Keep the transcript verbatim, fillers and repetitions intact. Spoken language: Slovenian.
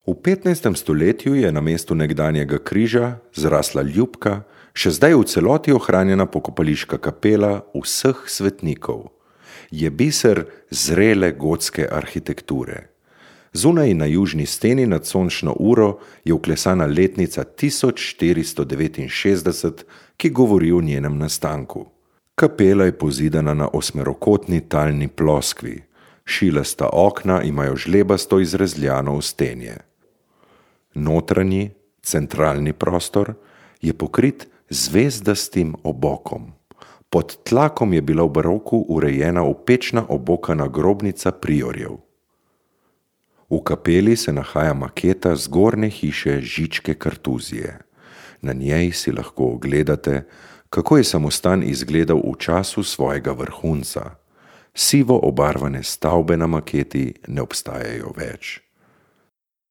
V petnajstem stoletju je na mestu nekdanjega križa zrasla ljubka, še zdaj v celoti ohranjena pokopališka kapela vseh svetnikov. Je biser zrele gotske arhitekture. Zunaj na južni steni nad sončno uro je vklesana letnica tisoč štiristo devetinšestdeset, ki govori o njenem nastanku. Kapela je pozidana na osmerokotni talni ploskvi. Šilasta okna imajo žlebasto izrezljano ostenje. Notranji, centralni prostor je pokrit zvezdastim obokom. Pod tlakom je bila v baroku urejena opečna obokana grobnica priorjev. V kapeli se nahaja maketa zgornje hiše Žičke Kartuzije. Na njej si lahko ogledate, kako je samostan izgledal v času svojega vrhunca. Sivo obarvane stavbe na maketi ne obstajajo več.